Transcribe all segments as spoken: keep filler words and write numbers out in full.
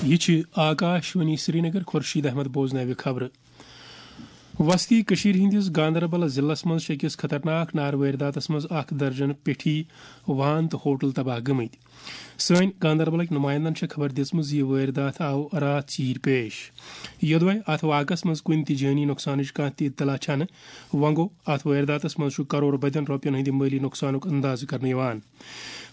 یہ چھِ آکاش وانی سرینگر۔ خورشید احمد بوزناوِ خبرٕ۔ وسطی کٔشیٖرِ ہٕنٛدِس گاندربل ضلعس منٛز چھِ أکِس خطرناک نارٕ وٲرۍداتس منٛز اکھ درجن پیٹھی وان تہٕ ہوٹل تباہ گٔمٕتۍ۔ سٲنۍ گاندربلٕکۍ نُمایندن چھےٚ خبر دِژمٕژ زِ یہِ وٲرۍدات آو راتھ ژیٖرۍ پیش۔ یوٚدوے اتھ واقعس منٛز کُنہِ تہِ جٲنی نۄقصانٕچ کانٛہہ تہِ اطلاع چھنہٕ، وۄنۍ گوٚو، اتھ وٲرۍداتس منٛز چھُ کرور بدٮ۪ن رۄپین ہٕنٛدِ مٲلی نۄقصانُک اندازٕ کرنہٕ یِوان۔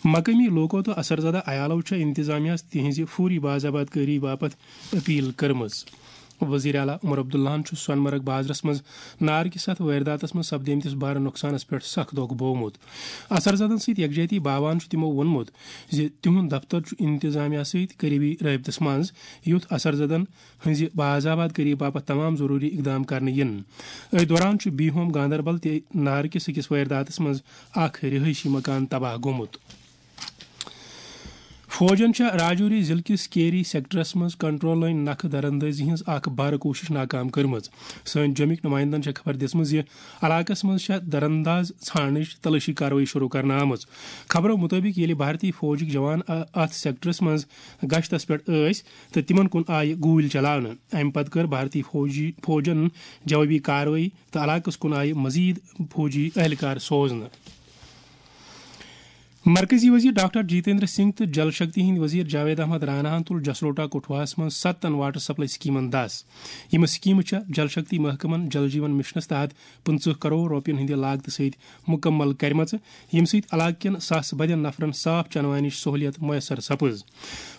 مقٲمی لوٗکو تہٕ اثر زدہ عیالو چھےٚ انتظامیہس تِہنٛزِ فوری باضابطگٲری باپتھ اپیل کٔرمٕژ۔ وزیر اعلیٰ عمر عبداللہن چھُ سۄنہٕ مرگ بازرس منٛز نارٕ کِس اتھ وٲرۍداتس منٛز سپدیمتِس بارٕ نۄقصانس پٮ۪ٹھ سخ دۄکھ بوومُت۔ اثر زدن سۭتۍ یکجہتی باوان چھُ تِمو ووٚنمُت زِ تِہُنٛد دفتر چھُ انتظامیہ سۭتۍ قریبی رٲبطس منٛز، یُتھ اثر زدن ہٕنٛزِ باضابطگٲری باپتھ تمام ضروٗری اقدام کرنہٕ یِن۔ أتھۍ دوران چھُ بی ہوم گاندربل تہِ نارٕ کِس أکِس وٲرۍداتس منٛز اکھ رہٲیشی مکان تباہ گوٚمُت۔ فوجن چھےٚ راجوری ضلعہٕ کِس کیری سیکٹرس منٛز کنٹرول لٲنۍ نکھٕ دراندازی ہٕنٛز اکھ بھرٕ کوٗشش ناکام کٔرمٕژ۔ سٲنۍ جوٚمِکۍ نُمایندن چھےٚ خبر دِژمٕژ زِ علاقس منٛز چھےٚ درانداز ژھانڈنٕچ تلٲشی کاروٲیی شروع کرنہٕ آمٕژ۔ خبرو مُطٲبِق، ییٚلہِ بھارتی فوجٕکۍ جوان ا-، اتھ سیکٹرس منٛز گشتس پٮ۪ٹھ ٲسۍ تہٕ تِمن کُن آیہِ گوٗلۍ چلاونہٕ۔ امہِ پتہٕ کٔر بھارتی فوجی، فوجن جوابی کاروٲیی تہٕ علاقس کُن آیہِ مزید فوجی اہلکار سوزنہٕ۔ مرکزی وزیر ڈاکٹر جتیندر سنگھ تہٕ جل شکتی ہٕنٛدۍ وزیر جاوید احمد راناہن تُل جسروٹا کٹھواہس منٛز ستن واٹر سپلائی سکیمن دس۔ یِم سکیمہٕ چھےٚ جل شکتی محکمن جل جیون مشنس تحت پٕنٛژٕہ کرور رۄپین ہٕنٛدِ لاگتہٕ سۭتۍ مکمل کرِمژٕ، ییٚمہِ سۭتۍ علاقہٕ کٮ۪ن ساسہٕ بٔدٮ۪ن نفرن صاف چنہٕ وانِچ سہولیت میسر سپٕز۔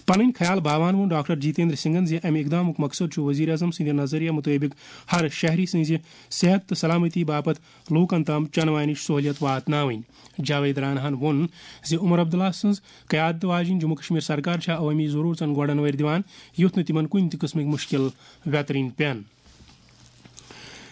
پنٕنۍ خیال باوان ووٚن ڈاکٹر جتیندر سنگھن زِ امہِ اقدامُک مقصد چھُ وزیر اعظم سٕنٛدِ نظریہ مُطٲبِق ہر شہری سٕنٛزِ صحت تہٕ سلامتی باپتھ لوٗکن تام چنہٕ وانِچ سہولیت واتناوٕنۍ۔ جاوید راناہن ووٚن زِ عمر عبداللہ سٕنٛز قیادت واجیٚنۍ جموں کشمیر سرکار چھےٚ عوٲمی ضروٗرژن گۄڈن وٲرۍ دِوان، یُتھ نہٕ تِمن کُنہِ تہِ قٕسمٕکۍ مُشکِل ویترٕنۍ پٮ۪ن۔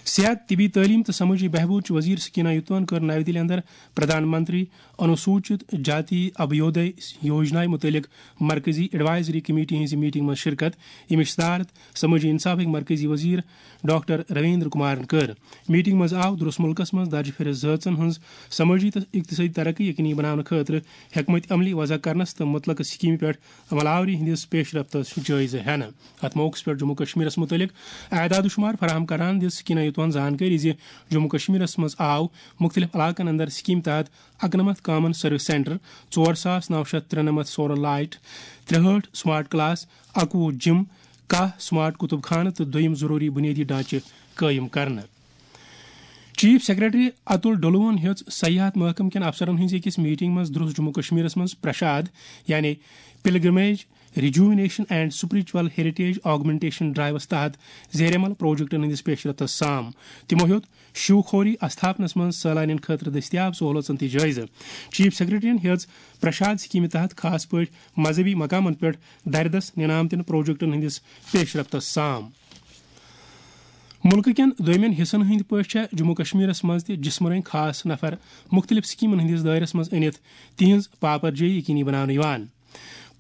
صحت، طبی تعلیٖم تہٕ سمٲجی بہبود چہِ وزیر سکینہ یوتوان کٔر نَوِ دِلہِ اندر پردھان منتری انوسوچت جاتی ابھیودے یوجنا مُتعلق مرکزی ایڈوائزری کمیٹی ہٕنٛزِ میٹنگ منٛز شرکت، ییٚمِچ صدارت سمٲجی انصافٕکۍ مرکزی وزیر ڈاکٹر رویندر کمارن کٔر۔ میٹنگ منٛز آو درس مُلکس منٛز درجہِ فہرست زٲژن ہٕنٛز سمٲجی تہٕ اقتصٲدی ترقی یقینی بناونہٕ خٲطرٕ حکمت عملی وضع کرنس تہٕ مُتعلقہٕ سکیمہِ پٮ۪ٹھ عمل آوری ہٕنٛدِس پیش رفتس جٲیزٕ ہٮ۪نہٕ۔ اتھ موقعس پٮ۪ٹھ جموں کشمیرس مُتعلق اعداد و شمار فراہم کران دِژ سکینہ یوتوان زانکٲری زِ جموں کشمیرس منٛز آو مُختٔلِف علاقن اندر سکیمہِ تحت اَکنَمَتھ کامن سروس سینٹر، ژور ساس نَو شیٚتھ ترٛنَمَتھ سولر لائٹ، ترٛہٲٹھ سمارٹ کلاس، اَکوُہ جم، کاہ سمارٹ کتب خانہٕ تہٕ دوٚیِم ضروٗری بنیٲدی ڈھانچہٕ قٲیِم کرنہٕ۔ چیف سیکرٹری اتُل ڈولوہن ہیٚژ سیاحت محکمہٕ کٮ۪ن افسرن ہٕنٛزِ أکِس میٹنگ منٛز درٛوس جموں کشمیرس منٛز پرشاد، یعنی pilgrimage rejuvenation and spiritual heritage augmentation ڈرائیوس تحت زیر عمل پروجیکٹن ہٕنٛدِس پیش رفتس سام۔ تِمو ہیوٚت شیو خوری استھاپنس منٛز سٲلانین خٲطرٕ دٔستیاب سہولژن تہِ جٲیزٕ۔ چیف سیکرٹریَن ہیٚژ پرشاد سکیمہِ تحت خاص پٲٹھۍ مذہبی مقامن پٮ۪ٹھ دردس نِنہٕ آمتٮ۪ن پروجیکٹن ہٕنٛدِس پیش رفتس سام۔ مُلکہٕ کٮ۪ن دوٚیمٮ۪ن حصن ہٕنٛدۍ پٲٹھۍ چھےٚ جموں کشمیرس منٛز تہِ جسمٲنۍ خاص نفر مُختٔلِف سکیمن ہٕنٛدِس دٲیرس منٛز أنِتھ تِہنٛز پاپرجٲیی یقینی بناونہٕ یِوان۔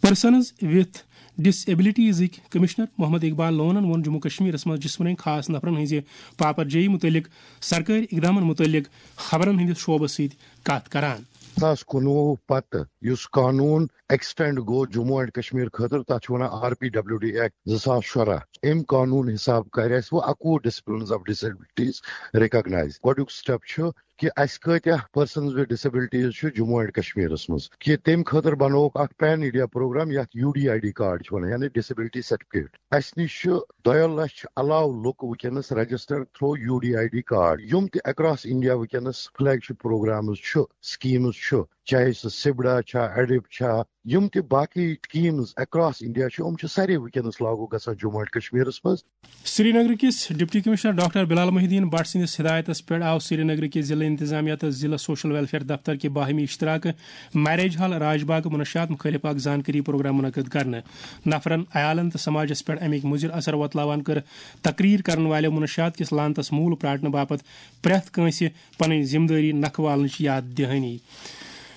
پرسنز وِتھ ڈس ایبلٹیزٕکۍ کمشنر محمد اقبال لونن ووٚن جموں کشمیرس منٛز جسمٲنۍ خاص نفرن ہٕنٛزِ پاپرجٲیی مُتعلق سرکٲرۍ اقدامن مُتعلق خبرن ہٕنٛدِس شعبس سۭتۍ کتھ کران۔ زٕ ساس کُنوُہ پتہٕ یُس قانون ایکسٹینڈ گوٚو جموں اینڈ کشمیر خٲطرٕ، تتھ چھِ ونان R P W D act زٕ ساس شُراہ۔ امہِ قانون حساب کرِ اسہِ وۄنۍ اکوُہ disciplines of disabilities recognise. گۄڈنیُک سٹیپ چھُ کہِ اسہِ کۭتیاہ پرسنز وِتھ ڈسیبلٹیز چھِ جموں اینڈ کشمیرس منٛز، کہِ تمہِ خٲطرٕ بنووُکھ اکھ پین انڈیا پروگرام یتھ U D I D card چھِ ونان، یعنی ڈسیبلٹی سرٹیفکیٹ۔ اسہِ نِش چھِ دۄیو لچھ علاوٕ لُکھ وٕنکیٚنس registered through U D I D card, یِم تہِ اکراس انڈیا وٕنکیٚنس فلیگ شپ پروگرامز چھِ، سکیمز چھِ، چاہے سُہ سبڑا چھا، ایڈپ چھا، یِم تہِ باقی سکیمز اکراس انڈیا چھِ، یِم چھِ سارے وٕنکیٚنس لاگو گژھان جموں اینڈ کشمیرس منٛز۔ سرینگر کِس ڈپٹی کمشنر ڈاکٹر بلال محی الدین بٹ سٕنٛدِس ہدایتس پٮ۪ٹھ آو سرینگر کِس ضلع انتظامیہ تہٕ ضلع سوشل ویلفیئر دفتر کہِ باہمی اشتراکہٕ میریج ہال راج باغ منشیات مُخٲلف اکھ زانکٲری پروگرام منعقد کرنہٕ۔ نفرن، عیالن تہٕ سماجس پٮ۪ٹھ امیِکۍ مُضر اثر وۄتلاوان کٔر تقریر کرن والٮ۪و منشیات کِس لعنتس موٗل پراٹنہٕ باپتھ پرٛٮ۪تھ کٲنٛسہِ پنٕنۍ ذمہٕ دٲری نکھٕ والنٕچ یاد دہٲنی۔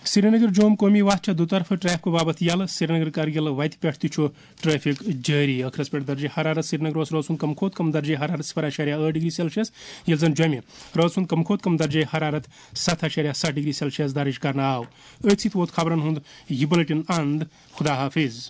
سرینگر جوم قومی وتھ چھےٚ دُطرفہٕ ٹریفکہٕ باپتھ یلہٕ۔ سرینگر کرگل وتہِ پٮ۪ٹھ تہِ چھُ ٹریفک جٲری۔ ٲخرس پٮ۪ٹھ درجہ حرارت۔ سرینگرس روزِ ہُن کم کھۄتہٕ کم درجہ حرارت صفر اعشاریہ ٲٹھ ڈگری سیلسیس، ییٚلہِ زن جوٚمہِ روزِ ہُن کم کھۄتہٕ کم درجہ حرارت ستھ اعشاریہ ستھ ڈگری سیلسیس درج کرنہٕ آو۔ أتھۍ سۭتۍ ووت خبرن ہُنٛد یہِ بُلٹن اند۔ خدا حافظ۔